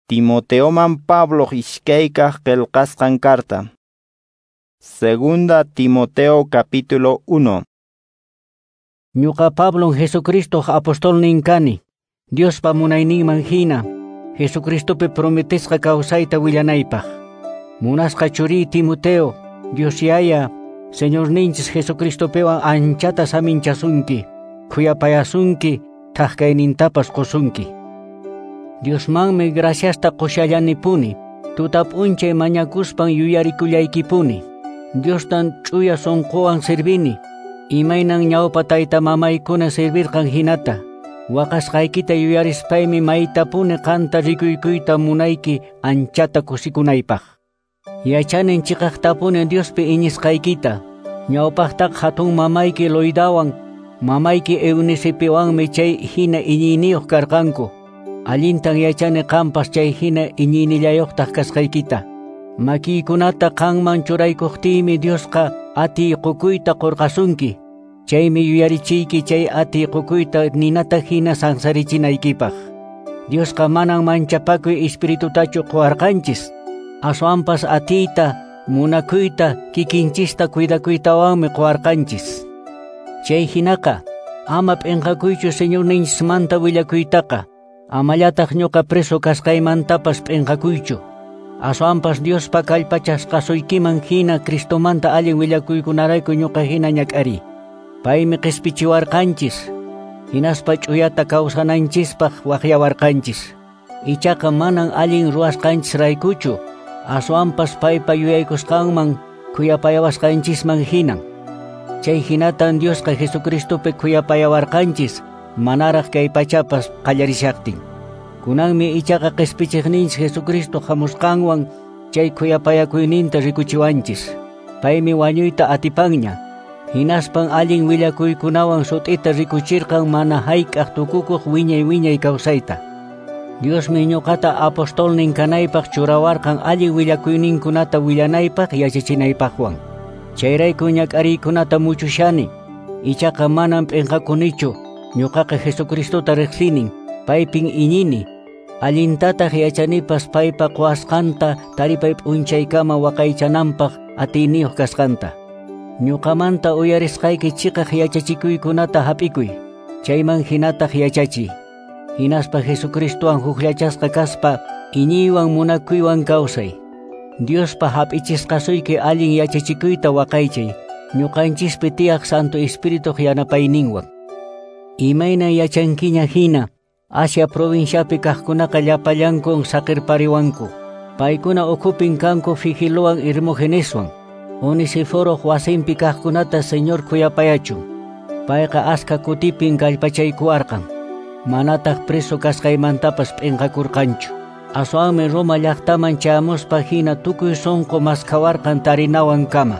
Timoteoman Pablo ishkaykaq qillqasqan carta. Segunda Timoteo capítulo 1. Ñuqa Pablon Jesucristo apostolnin kani, Diospa munayninman hina, Jesucristopi prometesqa kawsayta willanaypaq. Munasqa churiy Timoteo, Dios Yaya, Señorninchis Jesucristopiwan anchata saminchasunki, khuyapayasunki, thak-kaynintapas qusunki. Diosmanmi graciasta qushallanipuni, tuta p'unchay mañakuspan yuyarikullaykipuni. Diostan ch'uya sunquwan servini, imaynan ñawpa tayta mamaykuna servirqan hinata. Waqasqaykita yuyarispaymi maytapuni qanta rikuykuyta munayki anchata kusikunaypaq. Yachanin chiqaqtapuni Diospi iñisqaykita, ñawpaqtaq hatun mamayki Loidawan, mamayki Eunicipiwanmi chay hina iñiyniyuq karqanku. Allintan yachani qampas chay hina iñiynillayuqtaq kasqaykita. Makiykunata qanman churaykuqtiymi Diosqa atiy qukuyta qurqasunki. Chaymi yuyarichiyki chay atiy qukuyta ninata hina sansarichinaykipaq. Diosqa manan manchapakuy espiritutachu quwarqanchis. Aswanpas atiyta, munakuyta, kikinchista cuidakuytawanmi quwarqanchis. Chay hinaqa, ama p'inqakuychu Señorninchismanta willakuytaqa. Amallataq ñuqa preso kasqaymantapas p'inqakuychu. Aswanpas Diospa kallpachasqasuykiman hina Cristomanta allin willakuykunarayku ñuqa hina ñak'ariy. Paymi qispichiwarqanchis, hinaspa ch'uyata kawsananchispaq waqyawarqanchis. Ichaqa manan allin ruwasqanchisraykuchu, aswanpas paypa yuyaykusqanman khuyapayawasqanchisman hinan. Chay hinatan Diosqa Jesucristopi khuyapayawarqanchis, manaraq kay pachapas qallarishaqtin. Kunanmi ichaqa qispichiqninchis Jesucristo hamusqanwan chay khuyapayakuyninta rikuchiwanchis. Paymi wañuyta atipanña. Hinaspan allin willakuykunawan sut'ita rikuchirqan mana hayk'aq tukukuq wiñay wiñay kawsayta. Diosmi ñuqata apostolnin kanaypaq churawarqan allin willakuyninkunata willanaypaq yachachinaypaqwan. Chayrayku ñak'ariykunata muchushani, ichaqa manan p'inqakunichu. Ñuqaqa Jesucristota riqsinin, paypin iñini. Allintataq yachanipas paypa quwasqanta taripay p'unchaykama waqaychananpaq atiyniyuq kasqanta. Ñuqamanta uyarisqayki chiqaq yachachikuykunata hap'ikuy, chayman hinataq yachachiy. Hinaspa Jesucristowan hukllachasqa kaspa iñiywan munakuywan kawsay. Diospa hap'ichisqasuyki allin yachachikuyta waqaychay, ñuqanchispi tiyaq Santo Espirituq yanapayninwan. Imayna yachankiña hina, Asia provinciapi kaqkunaqa llapallankun saqirpariwanku. Paykuna ukhupin kanku Figilowan Hermogeneswan. Onesiforoq wasinpi kaqkunata Señor khuyapayachun. Payqa aska kutipin kallpachaykuwarqan. Manataq preso kasqaymantapas p'inqakurqanchu. Aswanmi Roma llaqtaman chayamuspa hina tukuy sunqu maskhawarqan tarinawan kama.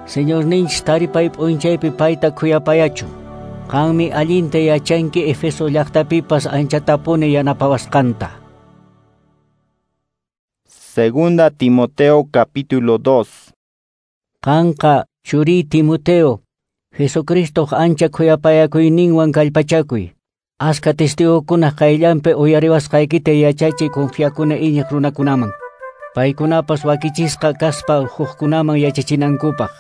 Señorninchis taripay p'unchaypi payta khuyapayachun. Qanmi allinta yachanki Efeso llaqtapipas anchatapuni yanapawasqanta. Segunda Timoteo capítulo 2. Qanqa churiy Timoteo, Jesucristoq ancha khuyapayakuyninwan kallpachakuy. Aska testigokunaq qayllanpi uyariwasqaykita yachachiy confiakuna iñiq runakunaman. Paykunapas wakichisqa kaspa hukkunaman yachachinankupaq.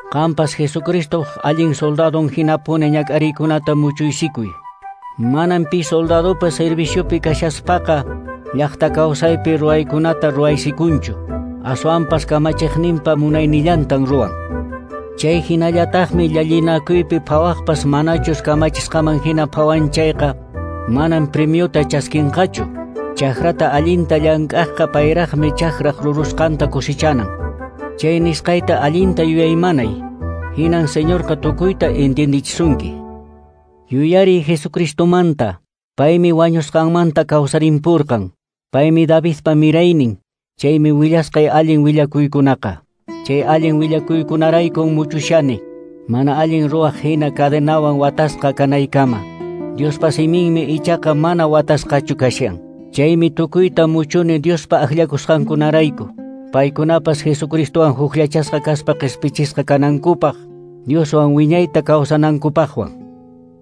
Qampas Jesucristo allin soldadon hinapuni ñak'ariykunata muchuysikuy. Manan pi soldadopa serviciopi kashaspaqa llaqta kawsaypi ruwaykunata ruwaysikunchu. Aswanpas kamachiqninpa munaynillantan ruwan. Chay hinallataqmi llallinakuypi phawaqpas manachus kamachisqaman hina phawan chayqa manan premiota chaskinqachu. Chakrata allinta llank'aqqa payraqmi chakraq rurusqanta kusichanan. Chay nisqayta allinta yuyaymanay, hinan Señorqa tukuyta entiendichisunki. Yuyariy Jesucristomanta, paymi wañusqanmanta kawsarimpurqan, paymi Davidpa miraynin, chaymi willasqay allin willakuykunaqa. Chay allin willakuykunaraykun muchushani, mana allin ruwaq hina cadenawan watasqa kanaykama. Diospa siminmi ichaqa mana watasqachu kashan. Chaymi tukuyta muchuni Diospa akllakusqankunarayku. Paykunapas Jesucristowan hukllachasqa kaspa qispichisqa kanankupaq, Dioswan wiñayta kawsanankupaqwan.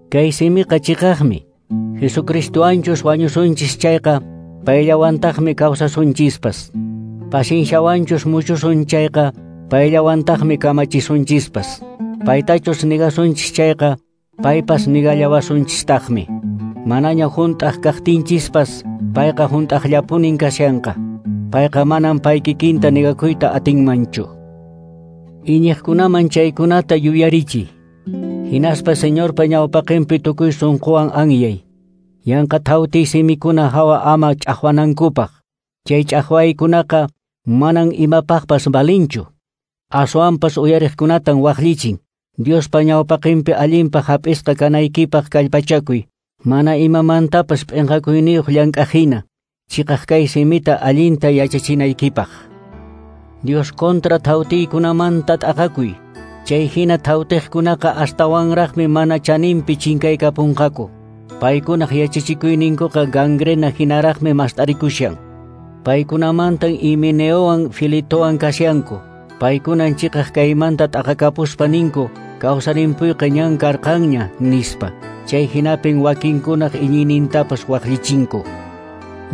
Kay simiqa chiqaqmi, Jesucristowanchus wañusunchis chayqa, payllawantaqmi kawsasunchispas. Pacienciawanchus muchusun chayqa, payllawantaqmi kamachisunchispas. Paytachus negasunchis chayqa, paypas negallawasunchistaqmi. Manaña hunt'aq kaqtinchispas, payqa hunt'aqllapunin kashanqa. Payqa manan pay kikinta negakuyta atinmanchu. Iñiqkunaman chaykunata yuyarichiy. Hinaspa Señorpa ñawpaqinpi tukuy sunquwan anyay. Yanqa thawti simikuna hawa ama ch'aqwanankupaq. Chay ch'aqwaykunaqa manan imapaqpas valinchu. Aswanpas uyariqkunatan waqllichin. Diospa ñawpaqinpi allinpaq hap'isqa kanaykipaq kallpachakuy. Mana imamantapas p'inqakuyniyuq llank'aqhina. Chiqaq kay simita allinta yachachinaykipaq. Dios kontra thawtiykunamanta t'aqakuy. Chay hina thawtiqkunaqa astawanraqmi mana chaninpi chinkaykapunqaku. Paykunaq yachachikuyninkuqa gangrena hinaraqmi mast'arikushan. Paykunamantan Himeneowan Filitowan kashanku. Paykunan chiqaq kaymanta t'aqakapuspa ninku, kawsarimpuyqa ñan karqanña nispa. Chay hinapin wakinkunaq iñiynintapas waqllichinku.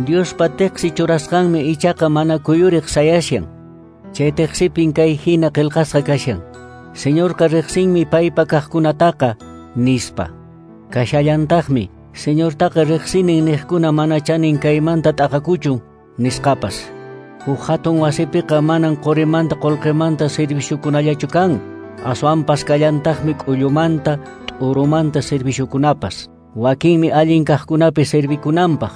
Diospa teqsi churasqanmi ichaqa mana kuyuriq sayashan. Chay teqsipin kay hina qillqasqa kashan. Señorqa riqsinmi paypa kaqkunataqa nispa. Kashallantaqmi, Señortaqa riqsinin niqkuna mana chanin kaymanta t'aqakuchun nisqapas. Huk hatun wasipiqa manan qurimanta qullqimanta serviciokunallachu kan, aswanpas kallantaqmi k'ullumanta, t'urumanta serviciokunapas. Wakinmi allin kaqkunapi servikunanpaq,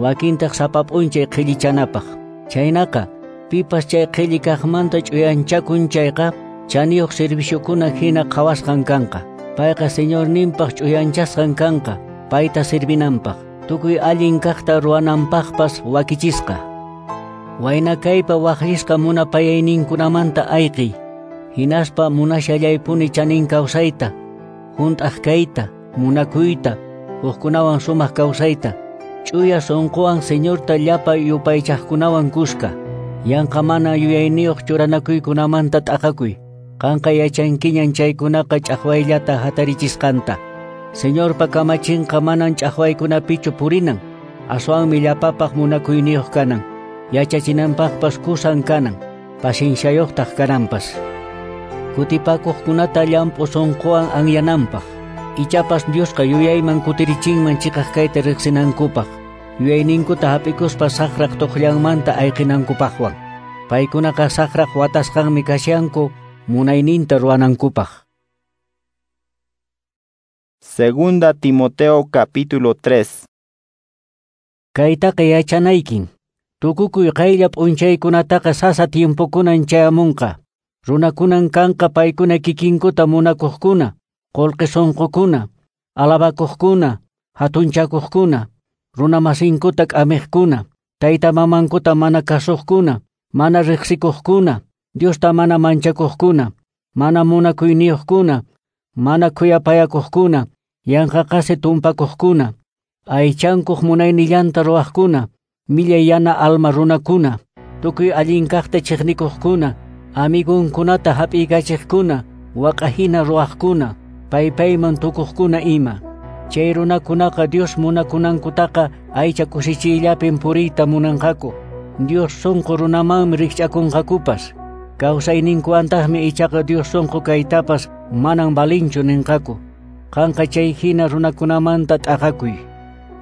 wakintaq sapa p'unchay qhillichanapaq. Chaynaqa, pipas chay qhilli kaqmanta ch'uyanchakun chayqa, chaniyuq serviciokuna hina qhawasqan kanqa. Payqa Señorninpaq ch'uyanchasqan kanqa, payta servinanpaq, tukuy allin kaqta ruwananpaqpas wakichisqa. Wayna kaypa waqllisqa munapayayninkunamanta ayqiy, hinaspa munashallaypuni chanin kawsayta, hunt'aq kayta, munakuyta, hukkunawan sumaq kawsayta, ch'uya sunquwan Señorta llapa yupaychaqkunawan kuska, yanqa mana yuyayniyuq churanakuykunamanta t'aqakuy. Qanqa yachankiñan chaykunaqa ch'aqwayllata hatarichisqanta. Señorpa kamachinqa manan ch'aqwaykunapichu purinan, aswanmi llapapaq munakuyniyuq kanan, yachachinanpaqpas kusan kanan, pacienciayuqtaq kananpas. Kutipakuqkunata llamp'u sunquwan anyananpaq, ichapas Diosqa yuyayman kutirichinman chiqaq kayta riqsinankupaq, yuyayninkuta hap'ikuspa saqraq tuqllanmanta ayqinankupaqwan. Paykunaqa saqraq watasqanmi kashanku munayninta ruwanankupaq. Segunda Timoteo capítulo 3. Kaytaqa yachanaykin. Tukukuy qaylla p'unchaykunataqa sasa tiempokunan chayamunqa. Runakunan kanqa paykuna kikinkuta munakuqkuna, qullqi sunqukuna, alabakuqkuna, hatunchakuqkuna, runamasinkuta k'amiqkuna, tayta mamankuta mana kasuqkuna, mana riqsikuqkuna, Diosta mana manchakuqkuna, mana munakuyniyuqkuna, mana khuyapayakuqkuna, yanqa qasi tumpakuqkuna, aychankuq munaynillanta ruwaqkuna, millay yana alma runakuna, tukuy allin kaqta chiqnikuqkuna, amigunkunata hap'iykachiqkuna, waq'ahina ruwaqkuna, paypayman tukuqkuna ima. Chay runakunaqa Dios munakunankutaqa aycha kusichiyllapin puriyta munanqaku. Dios sunqu runamanmi rikch'akunqakupas. Kawsayninkuwantaqmi ichaqa Dios sunqu kaytapas manan valinchu ninqaku. Qanqa chay hina runakunamanta t'aqakuy.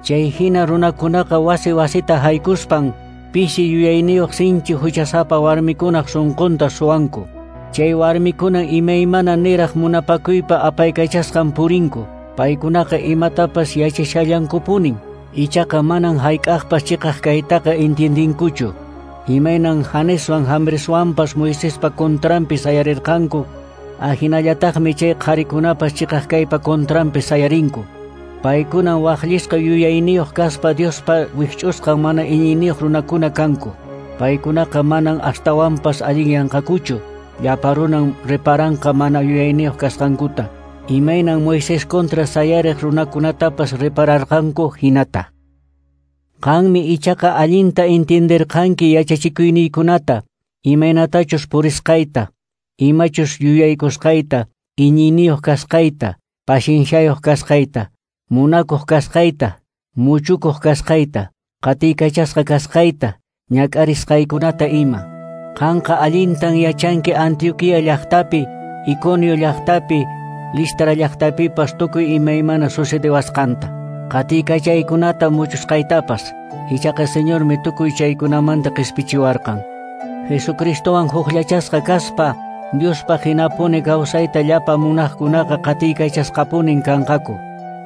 Chay hina runakunaqa wasi wasita haykuspan pisi yuyayniyuq sinchi huchasapa warmikunaq sunqunta suwanku. Chay warmikunan imaymana niraq munapakuypa apaykachasqan purinku. Paykunaqa imatapas yachashallankupunin. Ichaqa manan hayk'aqpas chiqaq kaytaqa entiendinkuchu. Imaynan Janeswan Jambreswanpas Moisespa contranpi sayarirqanku, ahinallataqmi chay qharikunapas chiqaq kaypa contranpi sayarinku. Paykunan waqllisqa yuyayniyuq kaspa Diospa wikch'usqan mana iñiyniyuq runakuna kanku. Paykunaqa manan astawanpas allinyanqakuchu, llapa runan reparanqa mana yuyayniyuq kasqankuta. Imaynan Moisés kontra sayariq runakunatapas repararqanku hinata. Qanmi ichaqa allinta entienderqanki yachachikuyniykunata, imaynatachus purisqayta, imachus yuyaykusqayta, iñiyniyuq kasqayta, pacienciayuq kasqayta, munakuq kasqayta, muchukuq kasqayta, qatiykachasqa kasqayta, ñak'arisqaykunata ima. Qanqa allintan yachanki Antioquia llaqtapi, Iconio llaqtapi, Listra llaqtapipas tukuy imaymana sucedewasqanta. Qatiykachaykunata muchusqaytapas, ichaqa Señormi tukuy chaykunamanta qispichiwarqan. Jesucristowan hukllachasqa kaspa, Diospaq hinapuni kawsayta llapa munaqkunaqa qatiykachasqapunin kanqaku.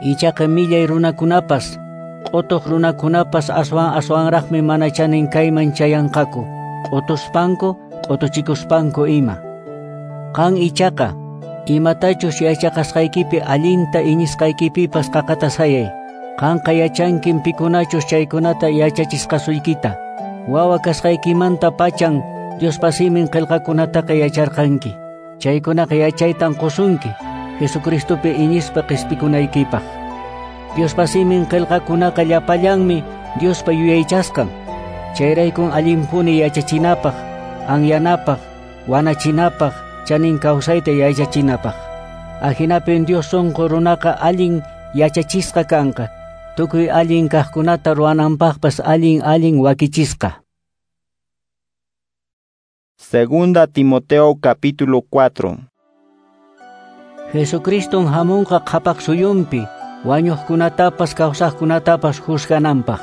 Ichaqa millay runakunapas, q'utuq runakunapas aswan aswanraqmi mana chanin kayman chayanqaku, q'utuspanku, q'utuchikuspanku ima. Qan ichaqa, imatachus yachaqasqaykipi allinta iñisqaykipipas qaqata sayay. Qanqa yachankin pikunachus chaykunata yachachisqasuykita. Wawa kasqaykimanta pachan Diospa simin qillqakunataqa yacharqanki. Chaykunaqa yachaytan qusunki Jesucristopi iñispa qispikunaykipaq. Diospa simin qillqakunaqa llapallanmi Diospa yuyaychasqan. Chayraykun allinpuni yachachinapaq, anyanapaq, wanachinapaq, chanin kawsayta yachachinapaq. Ahinapin Dios sunqu runaqa allin yachachisqa kanqa. Tukuy allin kaqkunata ruwananpaqpas allin allin wakichisqa. Segunda Timoteo capítulo 4. Jesucriston hamunqa qhapaq suyunpi, wañuqkunatapas kawsaqkunatapas juzgananpaq.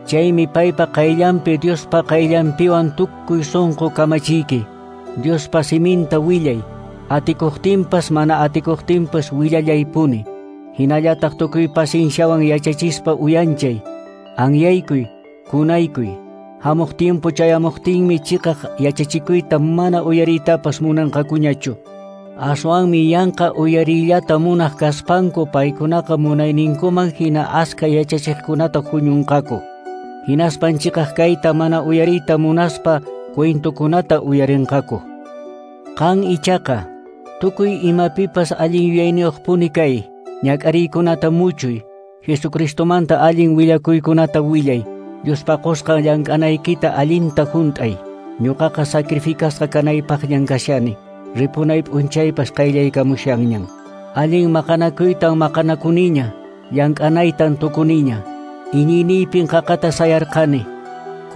Chaymi paypa qayllanpi Diospa qayllanpiwan tukuy sunqu kamachiyki. Diospa siminta willay, atikuqtinpas mana atikuqtinpas willallaypuni. Hinallataq tukuy pacienciawan yachachispa uyanchay, anyaykuy, kunaykuy. Hamuq tiempo chayamuqtinmi chiqaq yachachikuyta mana uyariytapas munanqakuñachu. Aswanmi yanqa uyariyllata munaq kaspanku paykunaqa munayninkuman hina aska yachachiqkunata huñunqaku. Hinaspan chiqaq kayta mana uyariyta munaspa cuentokunata uyarinqaku. Qan ichaqa, tukuy imapipas allin yuyayniyuqpuni kay, ñak'ariykunata muchuy, Jesucristomanta allin willakuykunata willay, Diospa qusqan llank'anaykita allinta hunt'ay. Ñuqaqa sacrificasqa kanaypaqñan kashani, ripunay p'unchaypas qayllaykamushanñan. Allin maqanakuytan maqanakuniña, llank'anaytan tukuniña, iñiyniypin qaqata sayarqani.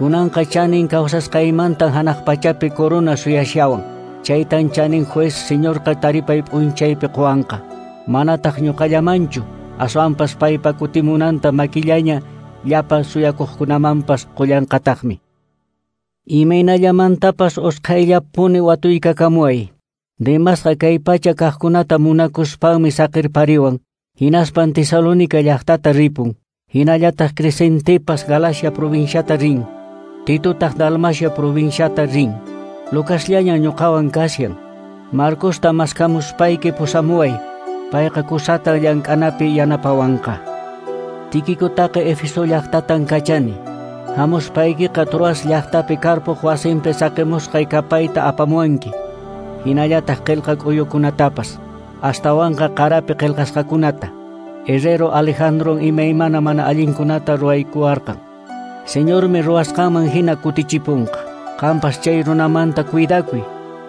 Kunanqa chanin kawsasqaymantan hanaq pachapi corona suyashawan. Chaytan chanin juez Señorqa taripay p'unchaypi quwanqa. Manataq ñuqallamanchu, aswanpas paypa kutimunanta makillaña llapa suyakuqkunamanpas qullanqataqmi. Imaynallamantapas usqhayllapuni watuykakamuway. Demasqa kay pacha kaqkunata munakuspanmi saqirpariwan, hinaspan Tesalónica llaqtata ripun. Hinallataq Crescentepas Galacia provinciata rin, Titotaq Dalmacia provinciata rin. Lucasllaña ñuqawan kashan. Marcosta maskamuspayki pusamuway, payqa kusata llank'anapi yanapawanqa. Tiquicutaqa Éfeso llaqtatan kachani. Hamuspaykiqa Troas llaqtapi Carpoq wasinpi saqimusqay kapayta apamuwanki. Hinallataq qillqa k'uyukunatapas, astawanqa qarapi qillqasqakunata. Herrero Alejandron imaymana mana allinkunata ruwaykuwarqan. Señormi ruwasqanman hina kutichipunqa. Qampas chay runamanta cuidakuy.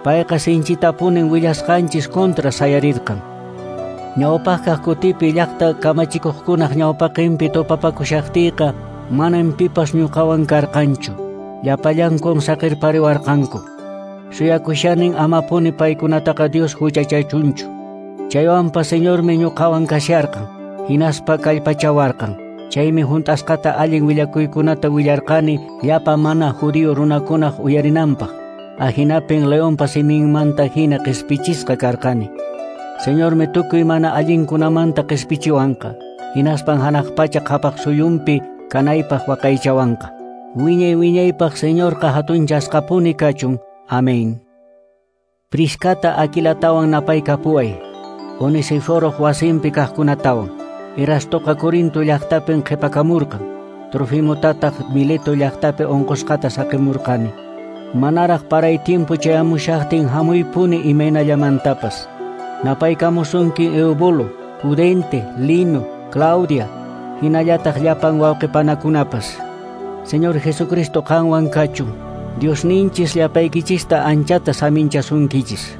Payqa sinchitapunin willasqanchis contra sayarirqan. Ñawpaqkaq kutipi llaqta kamachikuqkunaq ñawpaqinpi tupapakushaqtiyqa manam pipas ñuqawan karqanchu. Llapallankun saqirpariwarqanku. Suyakushanin amapuni paykunataqa Dios huchachachunchu. Chaywanpas Señormi ñuqawan kasharqan, hinaspa kallpachawarqan. Chaymi hunt'asqata allin willakuykunata willarqani llapa mana judío runakunaq uyarinanpaq. Ahinapin leonpa siminmanta hina qispichisqa karqani. Señormi tukuy mana allinkunamanta qispichiwanqa, hinaspan hanaq pacha qhapaq suyunpi kanaypaq waqaychawanqa. Wiñay wiñaypaq Señorqa hatunchasqapuni kachun. Amén. Priscata Aquilatawan napaykapuway, Onesiforoq wasinpi kaqkunatawan. Erastoqa Corinto llaqtapin qhipakamurqan, Trofimotataq Mileto llaqtapi unqusqata saqimurqani. Manaraq paray tiempo chayamushaqtin hamuypuni imaynallamantapas. Napaykamusunki Eubulo, Pudente, Lino, Claudia, hinallataq llapan wawqipanakunapas. Señor Jesucristo qanwan kachun. Diosninchis llapaykichista anchata saminchasunkichis.